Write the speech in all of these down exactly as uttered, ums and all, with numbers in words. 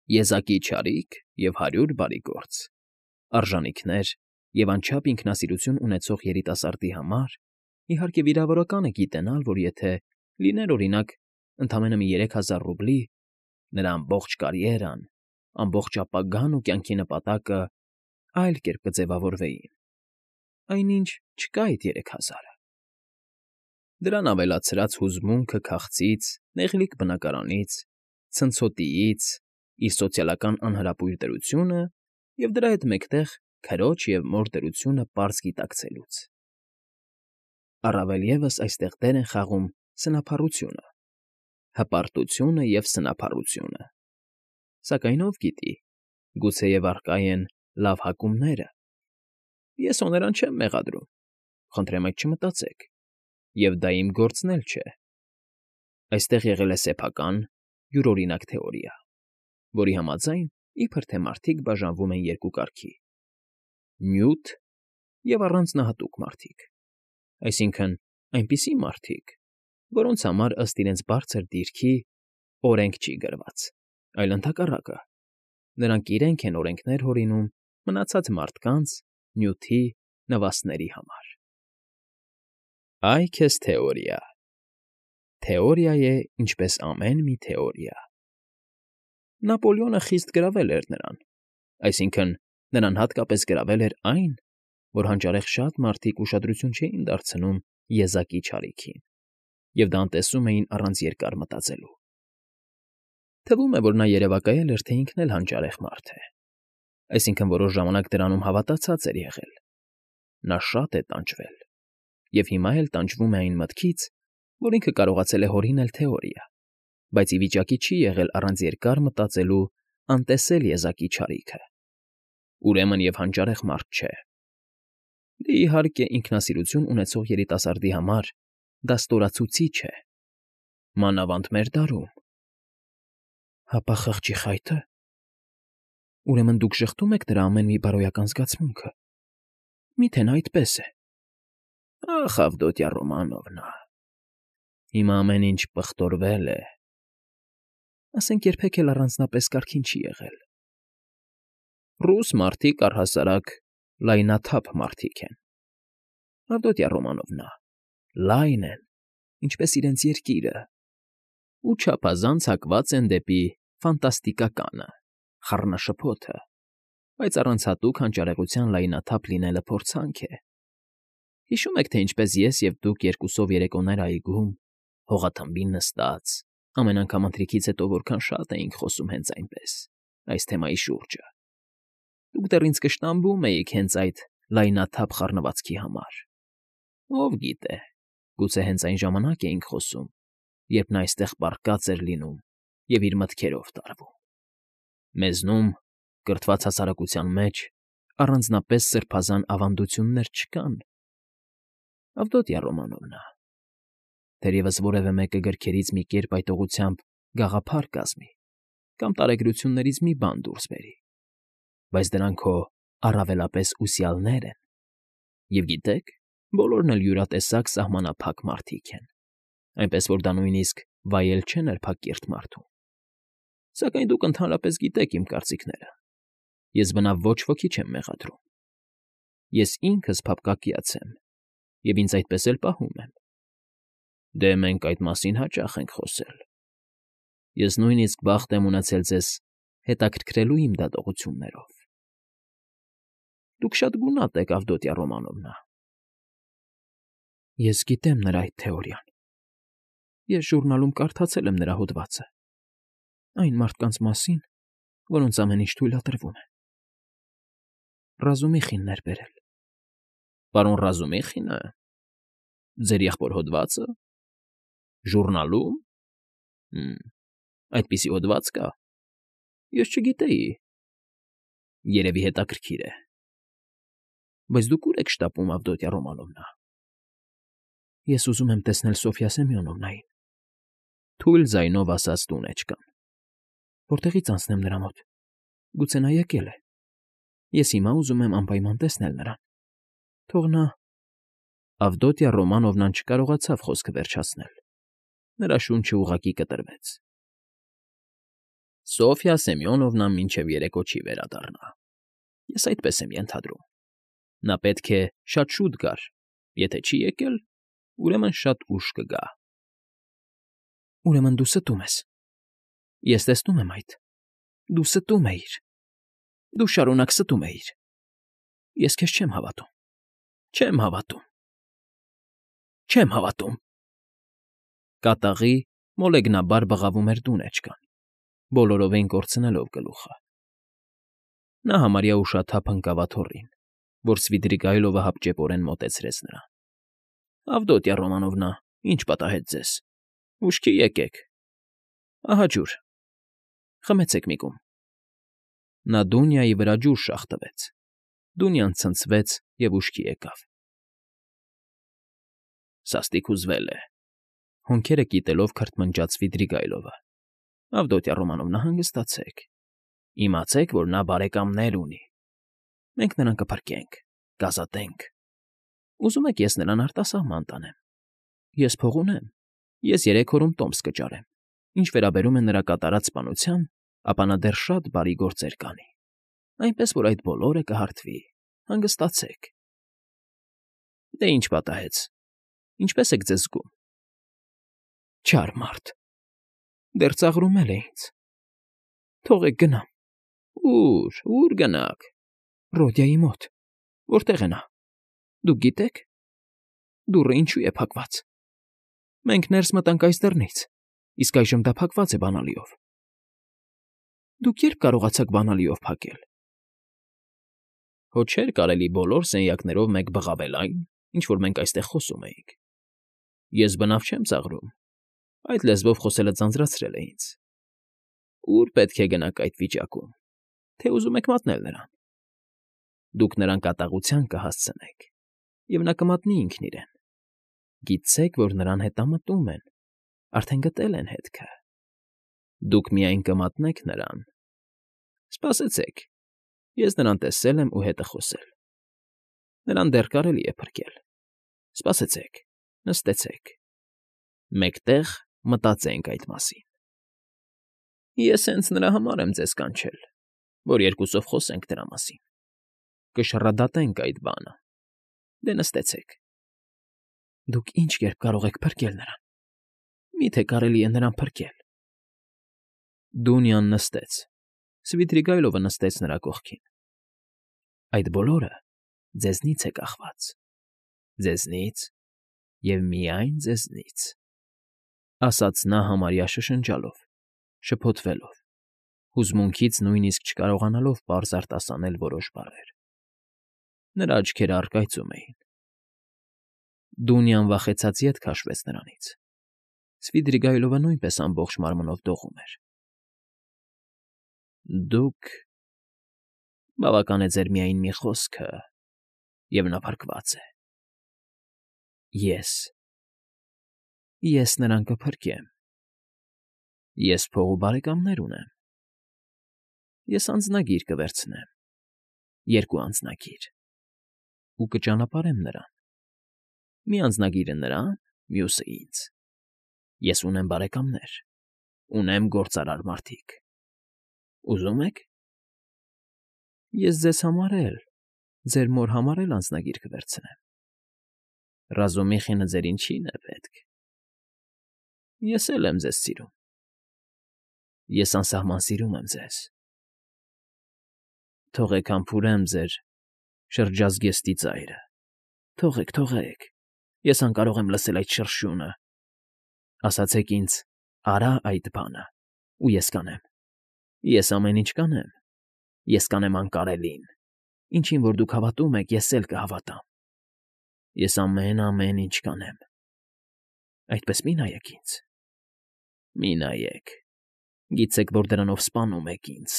Եզակի չարիք և հարյուր բարի գործ, արժանիքներ և անչափ ինքնասիրություն ունեցող երիտասարդի համար, իհարկե, վիրավորական է գիտենալ, որ եթե լիներ, օրինակ, ընդամենը մի երեք հազար ռուբլի, նրա ամբողջ կարիերան, ամբողջ ապագան ու կյանքի նպատակը այլ կերպ կձևավորվեին, այնինչ չկա այդ երեք հազարը… Դրան ավելացրած հուզմունքը քաղցից, նեղլիկ բնակարանից, ցնցոտիից, իր սոցիալական անհրապույր դրությունը և դրա հետ մեկտեղ քրոջ և մոր դրությունը պարզ գիտակցելուց… Առավել ևս այստեղ դեր են խաղում սնափառությունը, հպարտությունը և սնափառությունը… Սակայն ով գիտի, գուցեև առկա են լավ հակումները… Ես հո նրան չեմ մեղադրում, խնդրեմ այդ չմտածեք, և դա իմ գործն էլ չէ… Այստեղ եղել է սեփական, յուրօրինակ թեորիա, որի համաձայն, իբր թե մարդիկ բաժանվում են երկու կարգի. նյութ և առանձնահատուկ մարդիկ, այսինքն՝ այնպիսի մարդիկ, որոնց համար ըստ իրենց բարձր դիրքի օրենք չի գրված, այլ ընդհակառակը, նրանք իրենք են օրենքներ հորինում մնացած մարդկանց, նյութի, նվաստների համար… Այ քեզ թեորիա… Թեորիա է, ինչպես ամեն մի թեորիա… Նապոլեոնը խիստ գրավել էր նրան, այսինքն՝ նրան հատկապես գրավել էր այն, որ հանճարեղ շատ մարդիկ ուշադրություն չէին դարձնում եզակի չարիքին և դա անտեսում էին առանց երկար մտածելու… Թվում է, որ նա երևակայել էր, թե ինքն էլ հանճարեղ մարդ է, այսինքն՝ որոշ ժամանակ դրանում հավատացած էր եղել… Նա շատ է տանջվել և հիմա էլ տանջվում է այն մտքից, որ ինքը կարողացել է հորինել թեորիա, բայց ի վիճակի չի եղել առանց երկար մտածելու անտեսել եզակի չարիքը… Ուրեմն և հանճարեղ մարդ չէ… Դե, իհարկե, ինքնասիրություն ունեցող երիտասարդի համար դա ստորացուցիչ է, մանավանդ մեր դարում… Հապա խղճի խայթը… Ուրեմն դուք ժխտում եք նրա ամեն մի բարոյական զգացմունքը… Մի՞թե նա այդպես է… Ախ, Ավդոտյա Ռոմանովնա… Հիմա ամեն ինչ պղտորվել է… Ասենք երբեք էլ առանձնապես կարգին չի եղել… Ռուս մարդիկ, առհասարակ, լայնաթափ մարդիկ են, Ավդոտյա Ռոմանովնա, լայն են, ինչպես իրենց երկիրը, ու չափազանց հակված են դեպի ֆանտաստիկականը, խառնաշփոթը, բայց առանց հատուկ հանճարեղության լայնաթափ լինելը փորձանք է… Հիշո՞ւմ եք, թե ինչպես ես և դուք երկուսով երեկոներ այգում, հողաթմբին նստած, ամեն անգամ ընթրիքից հետո որքան շատ էինք խոսում հենց այնպես, այս թեմայի շուրջը… Դուք դեռ ինձ կշտամբում էիք հենց այդ լայնաթափ խառնվածքի համար… Ով գիտե, գուցե հենց այն ժամանակ էինք խոսում, երբ նա այստեղ պառկած էր լինում և իր մտքերով տարվում… Մեզնում, կրթված հասարակության մեջ, առանձնապես սրբազան ավանդություններ չկան… Ավդոտյա Ռոմանովնա… Թերևս որևէ մեկը գրքերից մի կերպ այդ ուղղությամբ գաղափար կազմի կամ տարեգրություններից մի բան դուրս բերի, բայց դրանք հո առավելապես ուսյալներ են… Եվ գիտեք, բոլորն էլ յուրատեսակ սահմանափակ մարդիկ են, այնպես որ դա նույնիսկ վայել չէ նրբակիրթ մարդուն… Սակայն դուք ընդհանրապես գիտեք իմ կարծիքները, ես բնավ ոչ ոքի չեմ մեղադրում… Ես ինքս փափկակյաց եմ և ինձ այդպես էլ պահում եմ… Դե, մենք այդ մասին հաճախ ենք խոսել… Ես նույնիսկ բախտ եմ ունեցել ձեզ հետաքրքրելու իմ դատողություններով… Դուք շատ գունատ եք, Ավդոտյա Ռոմանովնա… Ես գիտեմ նրա այդ թեորիան… Ես ժուրնալում կարդացել եմ նրա հոդվածը… Այն մարդկանց մասին, որոնց ամեն ինչ թույլատրվում է… Ռազումիխինն էր բերել… Պարոն Ռազումիխինը… Ձեր եղբոր հոդվա՞ծը… Ժուռնալո՞ւմ… Հը՜մ, այդպիսի հոդվա՞ծ կա… Ես չգիտեի… Երևի հետաքրքիր է… Բայց դուք ո՞ւր եք շտապում, Ավդոտյա Ռոմանովնա… Ես ուզում եմ տեսնել Սոֆյա Սեմյոնովնային… Թույլ ձայնով ասաց տունեջկան… Որտեղի՞ց անցնեմ նրա մոտ… Գուցե նա եկել է… Ես հիմա ուզում եմ անպայման տեսնել նրան… Թող նա… Ավդոտյա Ռոմանովնան չկարողացավ խոսքը վերջացնել… Նրա շունչը ուղղակի կտրվեց… Սոֆյա Սեմյոնովնան մինչև երեկո չի վերադառնա, ես այդպես եմ ենթադրում. նա պետք է շատ շուտ գար, եթե չի եկել, ուրեմն շատ ուշ կգա։ ֊ Ուրեմն դու ստում ես, ես տեսնում եմ այդ, դու ստում էիր, դու շարունակ ստում էիր, ես քեզ չեմ հավատում, չեմ հավատում, չեմ հավատում… Կատաղի մոլեգնաբար բղավում էր դունեջկան, բոլորովին կորցնելով գլուխը։ Նա համարյա ուշաթափ ընկավ աթոռին, որ Սվիդրիգայլովը հապճեպորեն մոտեցրեց նրան։ ֊ Ավդոտյա Ռոմանովնա, ի՞նչ պատահեց ձեզ, ուշքի եկեք… Ահա ջուր, խմեցեք մի կում… Նա Դունյայի վրա ջուր շաղ տվեց, Դունյան ցնցվեց և ուշքի եկավ։ ֊ Սաստիկ հուզվել է,֊ հոնքերը կիտելով քրթմնջաց Սվիդրիգայլովը։ ֊ Ավդոտյա Ռոմանովնա, հանգստացեք, իմացեք, որ նա բարեկամներ ունի, մենք նրան կփրկենք, կազատենք… Ուզում եք ես նրան արտասահման տանեմ… Ես փող ունեմ, ես երեք օրում տոմս կճարեմ, ինչ վերաբերում է նրա կատարած սպանության, ապա նա դեռ շատ բարի գործեր կանի, այնպես որ այդ բոլորը կհարթվի, հանգստացեք… Դե ինչ պատահեց, ինչպե՞ս եք ձեզ զգում… Չար մարդ… Դեռ ծաղրում էլ է ինձ… Թողեք գնամ… Ո՞ւր, ո՞ւր գնաք… Ռոդյայի մոտ… Որտե՞ղ է նա… Դուք գիտե՞ք… Դուռը ինչո՞ւ է փակված… Մենք ներս մտանք այս դռնից, իսկ այժմ դա փակված է բանալիով… Դուք ե՞րբ կարողացաք բանալիով փակել… Հո չէր կարելի բոլոր սենյակներով մեկ բղավել այն, ինչ որ մենք այստեղ խոսում էինք… Ես բնավ չեմ ծաղրում, այդ լեզվով խոսելը ձանձրացրել է ինձ… Ո՞ւր պետք է գնաք այդ վիճակում, թե ուզում եք մատնել նրան… Դուք նրան կատաղության կհասցնեք, և նա կմատնի ինքն իրեն… Գիտցեք, որ նրան հետամտում են, արդեն գտել են հետքը… Դուք միայն կմատնեք նրան… Սպասեցեք, ես նրան տեսել եմ ու հետը խոսել… Նրան դեռ կարելի է փրկել… Սպասեցեք, նստեցեք… Մեկ տեղ մտածենք այդ մասին… Ես հենց նրա համար եմ ձեզ կանչել, որ երկուսով խոսենք դրա մասին… Կշռադատենք այդ բանը… Դե նստեցեք… Դուք ինչ կերպ կարող եք փրկել նրան… Մի՞թե կարելի է նրան փրկել… Դունյան նստեց, Սվիդրիգայլովը նստեց նրա կողքին։ ֊ Այդ բոլորը ձեզնից է կախված… Ձեզնից և միայն ձեզնից…֊ ասաց նա համարյա շշնջալով, շփոթվելով, հուզմունքից նույնիսկ չկարողանալով պարզ արտասանել որոշ բառեր… Նրա աչքերը առկայծում էին… Դունյան վախեցած ետ քաշվեց նրանից… Սվիդրիգայլովը նույնպես ամբողջ մարմնով դողում էր… Դուք… բավական է ձեր միայն մի խոսքը, և նա փրկված է… Ես… ես նրան կփրկեմ… Ես փող ու բարեկամներ ունեմ… Ես անձնագիր կվերցնեմ… երկու անձնագիր… ու կճանապարհեմ նրան… Մի անձնագիրը նրան, մյուսը ինձ… Ես ունեմ բարեկամներ, ունեմ գործարար մարդիկ… Ուզում եք… Ես ձեզ համար էլ, ձեր մոր համար էլ անձնագիր կվերցնեմ… Ռազումիխինը ձեր ինչին է պետք… Ես էլ եմ ձեզ սիրում… Ես անսահման սիրում եմ ձեզ… Թողեք համբուրեմ ձեր շրջազգեստի ծայրը… Թողեք, թողեք… Ես անկարող եմ լսել այդ շրշյունը… Ասացեք ինձ՝ արա՞ այդ բանը, ու ես կանեմ… Ես ամեն ինչ կանեմ… Ես կանեմ անկարելին… Ինչին որ դուք հավատում եք, ես էլ կհավատամ… Ես ամեն֊ամեն ինչ կանեմ… Այդպես մի՛ նայեք ինձ… Մի՛ նայեք… Գիտեք, որ դրանով սպանում եք ինձ…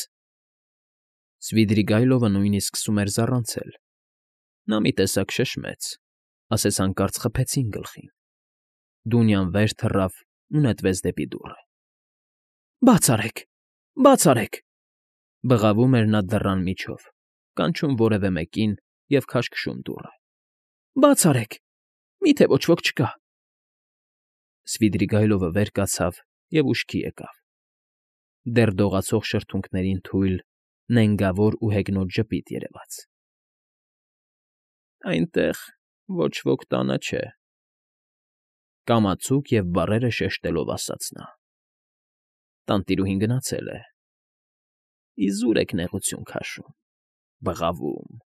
Սվիդրիգայլովը նույնիսկ սկսում էր զառանցել… Նա մի տեսակ շշմեց, ասես հանկարծ խփեցին գլխին… Դունյան վեր թռավ ու նետվեց դեպի դուռը… Բաց արեք… Բաց արեք…֊ բղավում էր նա դռան միջով, կանչում որևէ մեկին և քաշքշում դուռը… Բաց արեք… Մի՞թե ոչ ոք չկա… Սվիդրիգայլովը վեր կացավ և ուշքի եկավ… դեռ դողացող շրթունքներին թույլ, նենգավոր ու հեգնոտ ժպիտ երևաց։ ֊ Այնտեղ ոչ ոք տանը չէ,֊ կամացուկ և բառերը շեշտելով ասաց նա։֊ Տանտիրուհին գնացել է։ Իզուր եք նեղություն քաշում, բղավում,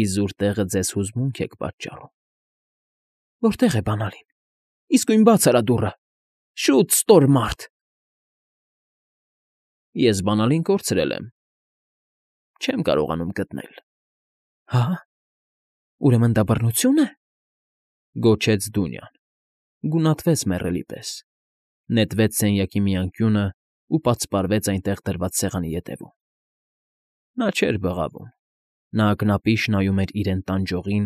իզուր տեղը ձեզ հուզմունք եք պատճառում։ ֊ Որտե՞ղ է բանալին, իսկույն բաց արա դուռը, շուտ, ստոր մարդ… Ես բանալին կորցրել եմ, չեմ կարողանում գտնել։ ֊ Հա՞, ուրեմն դա բռնությո՞ւն է,֊ գոչեց Դունյան, գունատվեց մեռելի պես, նետվեց սենյակի մի անկյունն ու պատսպարվեց այնտեղ դրված սեղանի ետևում։ Նա չէր բղավում, նա ակնապիշ նայում էր իրեն տանջողին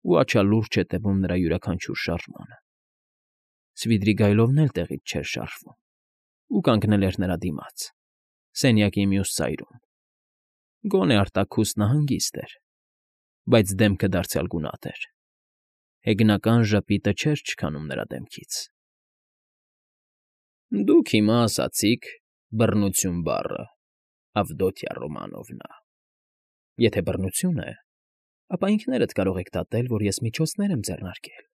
ու աչալուրջ հետևում նրա յուրաքանչյուր շարժմանը։ Սվիդրիգայլովն էլ տեղից չէր շարժվում ու կանգնել էր նրա դիմաց, սենյակի մյուս ծայրում։ Գոնե արտաքուստնը հանգիստ էր, բայց դեմքը դարձյալ գունատ էր, հեգնական ժպիտը չէր չքանում նրա դեմքից։ ֊ Դուք հիմա ասացիք «բռնություն» բառը, Ավդոտյա Ռոմանովնա… Եթե բռնություն է, ապա ինքներդ կարող եք դատել, որ ես միջոցներ եմ ձեռնարկել։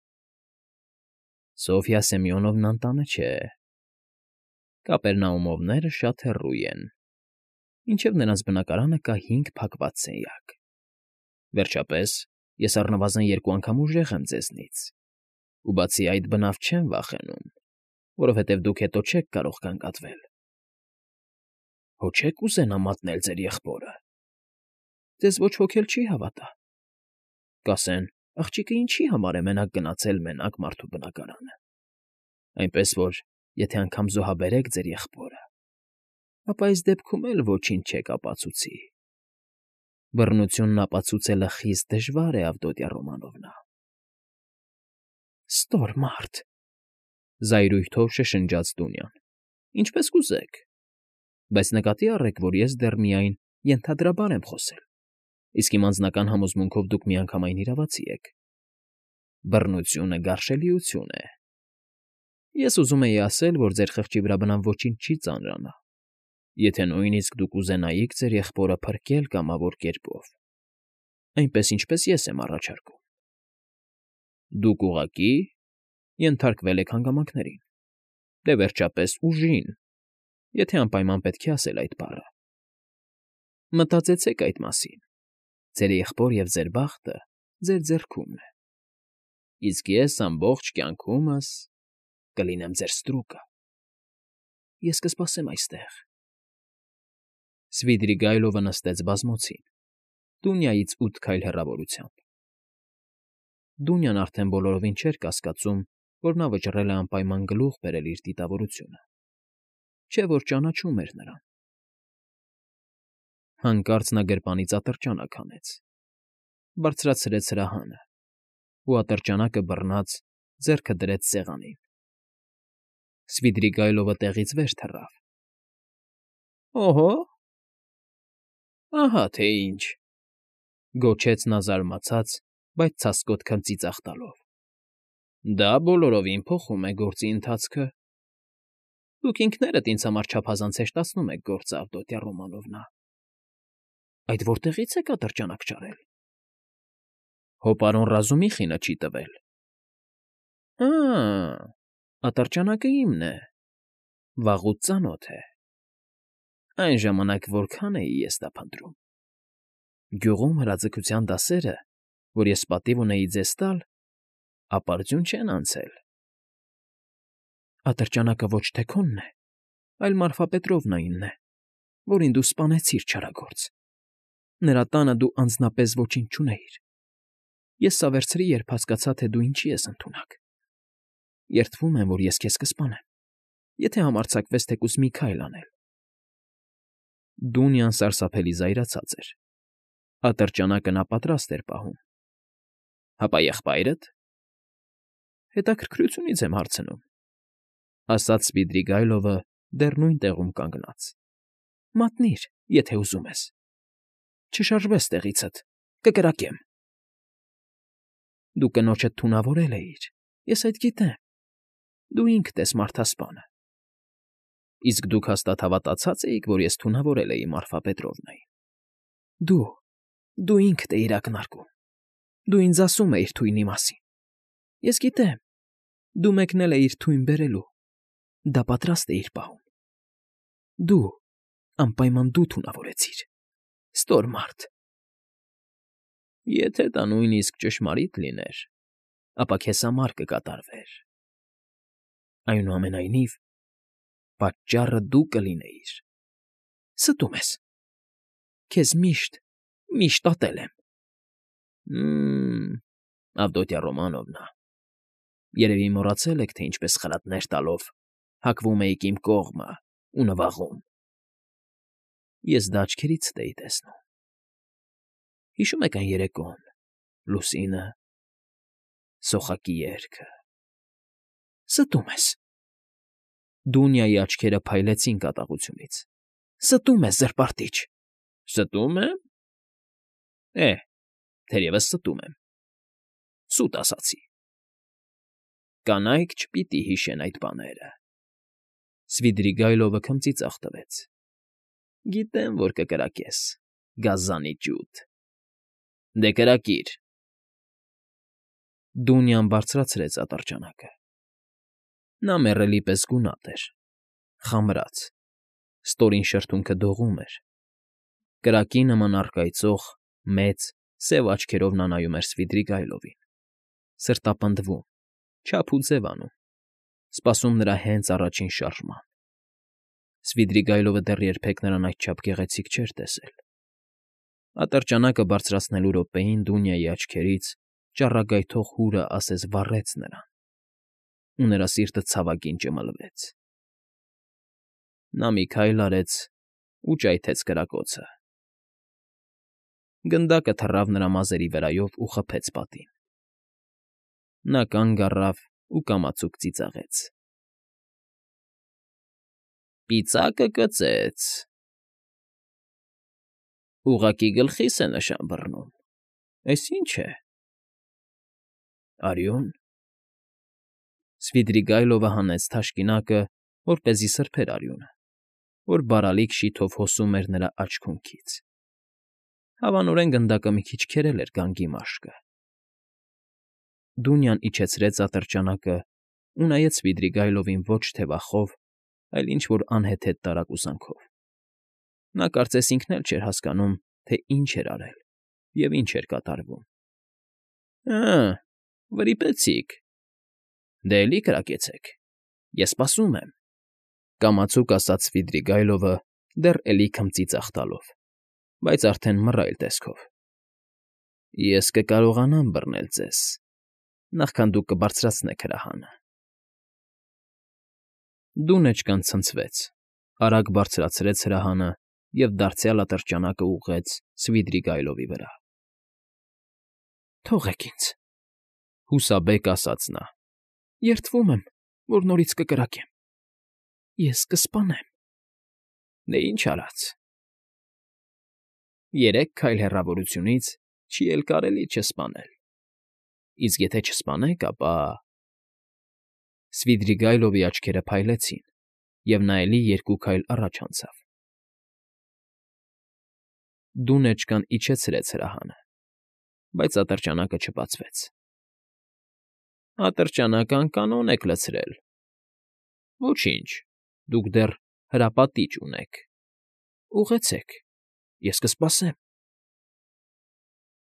Սոֆյա Սեմյոնովնան տանը չէ, Կապերնաումովները շատ հեռու են, մինչև նրանց բնակարանը կա հինգ փակված սենյակ։ Վերջապես, ես առնվազն երկու անգամ ուժեղ եմ ձեզնից, ու բացի այդ բնավ չեմ վախենում, որովհետև դուք հետո չեք կարող գանգատվել։ ֊ Հո չե՞ք ուզենա մատնել ձեր եղբորը։ ֊ Ձեզ ոչ ոք էլ չի հավատա։ Կասեն. աղջիկը ինչի համար է մենակ գնացել մենակ մարդու բնակարանը։ Այնպես որ, եթե անգամ զոհաբերեք ձեր եղբորը, ապա այս դեպքում էլ ոչինչ չեք ապացուցի։ Բռնությունն ապացուցելը խիստ դժվար է, Ավդոտյա Ռոմանովնա։ ֊ Ստոր մարդ,֊ զայրույթով շշնջաց Դունյան,֊ ինչպես կուզեք, բայց նկատի առեք, որ ես դեռ միայն ենթադրաբար եմ խոսել, իսկ իմ անձնական համոզմունքով դուք միանգամայն իրավացի եք։ Բռնությունը գարշելիություն է։ Ես ուզում էի ասել, որ ձեր խղճի վրա բնավ ոչինչ չի ծանրանա, եթե նույնիսկ դուք ուզենայիք ձեր եղբորը փրկել կամավոր կերպով, այնպես, ինչպես ես եմ առաջարկում։ Դուք ուղղակի ենթարկվել եք հանգամանքներին, դե, վերջապես, ուժին, եթե անպայման պետք է ասել այդ բառը։ Մտածեցեք այդ մասին. ձեր եղբոր և ձեր բախտը ձեր ձեռքումն է, իսկ ես ամբողջ կյանքումս կլինեմ ձեր ստրուկը։ Ես կսպասեմ այստեղ։ Սվիդրիգայլովը նստեց բազմոցին, Դունյայից ութ քայլ հեռավորությամբ։ Դունյան արդեն բոլորովին չէր կասկածում, որ նա վճռել է անպայման գլուխ բերել իր դիտավորությունը, չէ՞ որ ճանաչում էր նրան։ Հանկարծ նա գրպանից ատրճանակ հանեց, բարձրացրեց հրահանը ու, ատրճանակը բռնած, ձեռքը դրեց սեղանին։ Սվիդրիգայլովը տեղից վեր թռավ։ ֊ Օհո՜, ահա թե ինչ,֊ գոչեց նա զարմացած, բայց ցասկոտ քմծիծաղ տալով։֊ Դա բոլորովին փոխում է գործի ընթացքը։ Դուք ինքներդ ինձ համար չափազանց հեշտացնում եք գործը, Ավդոտյա Ռոմանովնա։ Այդ որտեղի՞ց եք ատրճանակ ճարել։ ֊ Հո պարոն Ռազումիխինը չի տվել։ ֊ Ա՜, ատրճանակը իմն է, վաղուց ծանոթ է։ Այն ժամանակ որքան էի ես դա փնտրում։ Գյուղում հրաձգության դասերը, որ ես պատիվ ունեի ձեզ տալ, ապարդյուն չեն անցել։ Ատրճանակը ոչ թե քոնն է, այլ Մարֆա Պետրովնայինն է, որին դու սպանեցիր, չարագործ։ Նրա տանը դու անձնապես ոչինչ չունեիր։ Ես սա վերցրի, երբ հասկացա, թե դու ինչի ես ընդունակ։ Երդվում եմ, որ ես քեզ կսպանեմ, եթե համարձակվես թեկուզ մի քայլ անել։ Դունյան սարսափելի զայրացած էր։ Ատրճանակը նա պատրաստ էր պահում։ ֊ Հապա եղբայրդ։ ֊ Հետաքրքրությունից եմ հարցնում,֊ ասաց Սվիդրիգայլովը դեռ նույն տեղում կանգնած։ ֊ Մատնիր, եթե ուզում ես։ Չշարժվես տեղիցդ, կկրակեմ։ Դու կնոջդ թունավորել էիր, ես այդ գիտեմ, դու ինքդ ես մարդասպանը։ Իսկ դուք հաստատ հավատացած էիք, որ ես թունավորել էի Մարֆա Պետրովնային։ Դու, դու ինքդ էիր ակնարկում, դու ինձ ասում էիր թույնի մասին։ Ես գիտեմ, դու մեկնել էիր թույն բերելու, դա պատրաստ էիր պահում։ Դու, անպայման դու թունավորեցիր, ստոր մարդ։ Եթե դա նույնիսկ ճշմարիտ լիներ, ապա քեզ համար կկատարվեր։ Այնուամենայնիվ, պատճառը դու կլինեիր։ Ստում ես։ Քեզ միշտ, միշտ ատել եմ։ Մմ, Ավդոտյա Ռոմանովնա, երևի մոռացել եք, թե ինչպես խրատներ տալով հակվում էիք իմ կողմը ու նվաղում։ Ես դա աչքերիցդ էի տեսնում։ Հիշո՞ւմ եք այն երեկոն, լուսինը, սոխակի երգը։ Ստում ես։ Դունյայի աչքերը փայլեցին կատաղությունից։ Ստում ես, զրպարտիչ։ Ստում եմ։ Է, թերևս ստում եմ։ Սուտ ասացի։ Կանայք չպիտի հիշեն այդ բաները։ Սվիդրիգայլովը քմծիծաղ տվեց։ Գիտեմ, որ կկրակես, գազանի ջութ։ Դե կրակիր։ Դունյան բարձրացրեց ատրճանակը։ Նա մեռելի պես գունատ էր, խամրած, ստորին շրթունքը դողում էր։ Կրակի նման առկայծող, մեծ, սև աչքերով նա նայում էր Սվիդրիգայլովին, սրտապնդվում, չափ ու ձև անում, սպասում նրա հենց առաջին շարժման։ Սվիդրիգայլովը դեռ երբեք նրան այդչափ գեղեցիկ չէր տեսել։ Ատրճանակը բարձրացնելու րոպեին Դունյայի աչքերից ճառագայթող հուրը ասես վառեց նրան, ու նրա սիրտը ցավագին ճմլվեց։ Նա մի քայլ արեց ու ճայթեց կրակոցը։ Գնդակը թռավ նրա մազերի վրայով ու խփեց պատին։ Նա կանգ առավ ու կամացուկ ծիծաղեց։ Պիծակը կծեց։ Ուղղակի գլխիս է նշան բռնում։ Էս ի՞նչ է։ Արյուն։ Սվիդրիգայլովը հանեց թաշկինակը, որպեսզի սրբեր արյունը, որ բարալիկ շիթով հոսում էր նրա աջ֊քունքից։ Հավանորեն գնդակը մի քիչ քերել էր գանգի մաշկը։ Դունյան իջեցրեց ատրճանակը ու նայեց Սվիդրիգայլովին ոչ թե վախով, այլ ինչ֊որ անհեթեթ տարակուսանքով։ Նա կարծես ինքն էլ չէր հասկանում, թե ինչ էր արել և ինչ էր կատարվում։ Հը՜, վրիպեցիք։ Դե էլի կրակեցեք, ես սպասում եմ,֊ կամացուկ ասաց Սվիդրիգայլովը դեռ էլի քմծիծաղ տալով, բայց արդեն մռայլ տեսքով։ Ես կկարողանամ բռնել ձեզ, նախքան դուք կբարձրացնեք հրահանը։ Դունեջկան ցնցվեց, արագ բարձրացրեց հրահանը և դարձյալ ատրճանակը ուղղեց Սվիդրիգայլովի վրա։ Թողեք ինձ,֊ հուսաբեկ ասաց նա։ Երդվում եմ, որ նորից կկրակեմ։ Ես կսպանեմ։ Դե ինչ արած։ Երեք քայլ հեռավորությունից չի էլ կարելի չսպանել։ Իսկ եթե չսպանեք, ապա… Սվիդրիգայլովի աչքերը փայլեցին, և նա էլի երկու քայլ առաջ անցավ։ Դունեջկան իջեցրեց հրահանը, բայց ատրճանակը չբացվեց։ Ատրճանակ անկանոն եք լցրել։ Ոչինչ, դուք դեռ հրապատիճ ունեք։ Ուղղեցեք, ես կսպասեմ։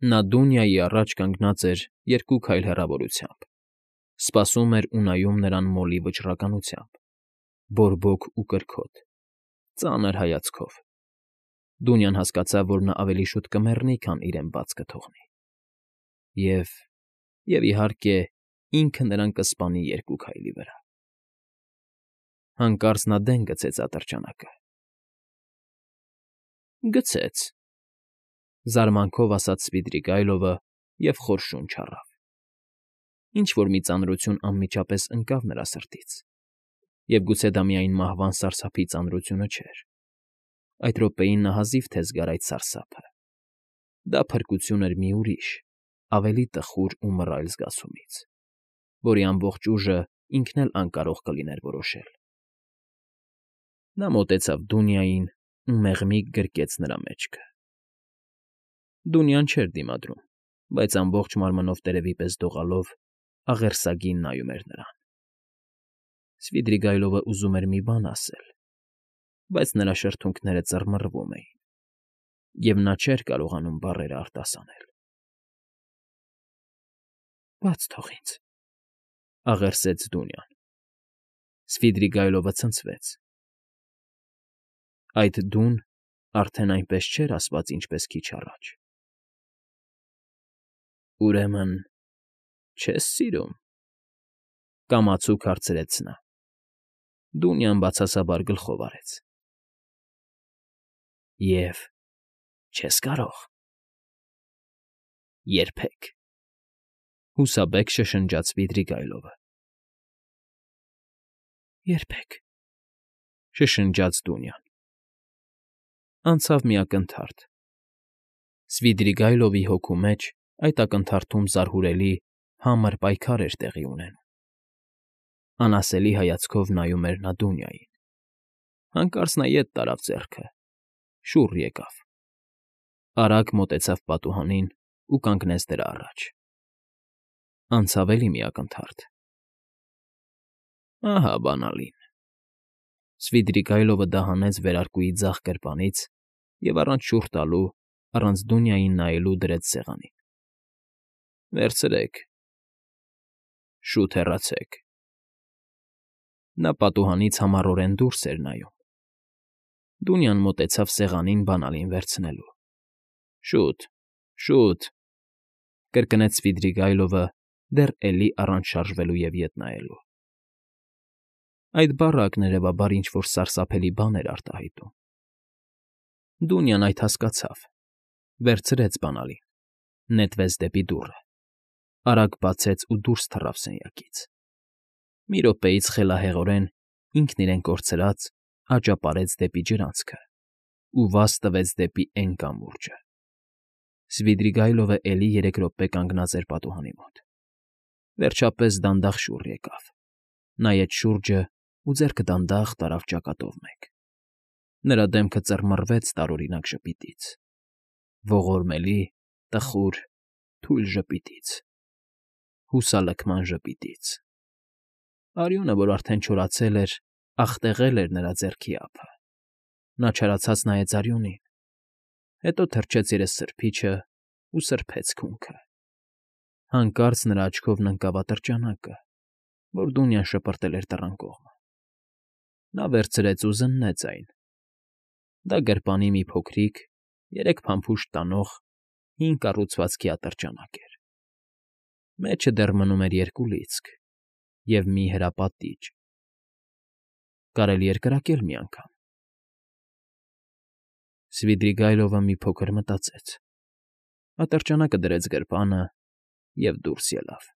Նա Դունյայի առաջ կանգնած էր երկու քայլ հեռավորությամբ, սպասում էր ու նայում նրան մոլի վճռականությամբ, բորբոք ու կրքոտ, ծանր հայացքով։ Դունյան հասկացավ, որ նա ավելի շուտ կմեռնի, քան իրեն բաց կթողնի։ Եվ… և, իհարկե, ինքը նրան կսպանի երկու քայլի վրա։ Հանկարծ նա դեն գցեց ատրճանակը։ Գցեց,֊ զարմանքով ասաց Սվիդրիգայլովը և խոր շունչ առավ։ Ինչ֊որ մի ծանրություն անմիջապես ընկավ նրա սրտից, և գուցե դա միայն մահվան սարսափի ծանրությունը չէր։ Այդ րոպեին նա հազիվ թե զգար այդ սարսափը։ Դա փրկություն էր մի ուրիշ, ավելի տխուր ու մռայլ զգացումից, որի ամբողջ ուժը ինքն էլ անկարող կլիներ որոշել։ Նա մոտեցավ Դունիային ու մեղմիկ գրկեց նրա մեջքը։ Դունյան չէր դիմադրում, բայց ամբողջ մարմնով տերևի պես դողալով աղերսագին նայում էր նրան։ Սվիդրիգայլովը ուզում էր մի բան ասել, բայց նրա շրթունքները ծռմռվում էին, և նա չէր կարողանում բառերը արտասանել։ ֊ Բաց թող ինձ,֊ աղերսեց Դունյան։ Սվիդրիգայլովը ցնցվեց։ Այդ «դուն» արդեն այնպես չէր ասված, ինչպես քիչ առաջ։ ֊ Ուրեմն չե՞ս սիրում,֊ կամացուկ հարցրեց նա։ Դունյան բացասաբար գլխով արեց։ ֊ Եվ չե՞ս կարող։ ֊ Երբեք,֊ հուսաբեկ շշնջաց Սվիդրիգայլովը։ ֊ Երբեք,֊ շշնջաց Դունյան։ Անցավ մի ակնթարթ։ Սվիդրիգայլովի հոգու մեջ այդ ակնթարթում զարհուրելի, համր պայքար էր տեղի ունենում։ Անասելի հայացքով նայում էր նա Դունյային։ Հանկարծ նա ետ տարավ ձեռքը, շուռ եկավ, արագ մոտեցավ պատուհանին ու կանգնեց դրա առաջ։ Անցավ էլի մի ակնթարթ։ Ահա բանալին։ Սվիդրիգայլովը դա հանեց վերարկուի ձախ գրպանից և առանց շուռ տալու, առանց Դունյային նայելու դրեց սեղանին։ Վերցրեք։ Շուտ հեռացեք։ Նա պատուհանից համառորեն դուրս էր նայում։ Դունյան մոտեցավ սեղանին բանալին վերցնելու։ Շուտ, շուտ,֊ կրկնեց Սվիդրիգայլովը, դեռ էլի առանց շարժվելու և ետ նայելու։ Այդ բառը ակներևաբար ինչ֊որ սարսափելի բան էր արտահայտում։ Դունյան այդ հասկացավ, վերցրեց բանալին, նետվեց դեպի դուռը, արագ բացեց ու դուրս թռավ սենյակից։ Մի րոպեից խելահեղորեն, ինքն իրեն կորցրած, աճապարեց դեպի ջրանցքը ու վազ տվեց դեպի էն կամուրջը։ Սվիդրիգայլովը էլի երեք րոպե կանգնած էր պատուհանի մոտ։ Վերջապես դանդաղ շուռ եկավ, նայեց շուրջը ու ձեռքը դանդաղ տարավ ճակատով մեկ։ Նրա դեմքը ծռմռվեց տարօրինակ ժպիտից, ողորմելի, տխուր, թույլ ժպիտից, հուսալքման ժպիտից։ Արյունը, որ արդեն չորացել էր, աղտեղել էր նրա ձեռքի ափը։ Նա չարացած նայեց արյունին, հետո թրջեց երեսսրբիչն ու սրբեց քունքը։ Հանկարծ նրա աչքովն ընկավ ատրճանակը, որ Դունյան շպրտել էր դռան կողմը։ Նա վերցրեց ու զննեց այն։ Դա գրպանի մի փոքրիկ, երեք փամփուշտ տանող, հին կառուցվածքի ատրճանակ էր։ Մեջը դեռ մնում էր երկու լիցք և մի հրապատիճ։ Կարելի էր կրակել մի անգամ։ Սվիդրիգայլովը մի փոքր մտածեց, ատրճանակը դրեց գրպանը և դուրս ելավ։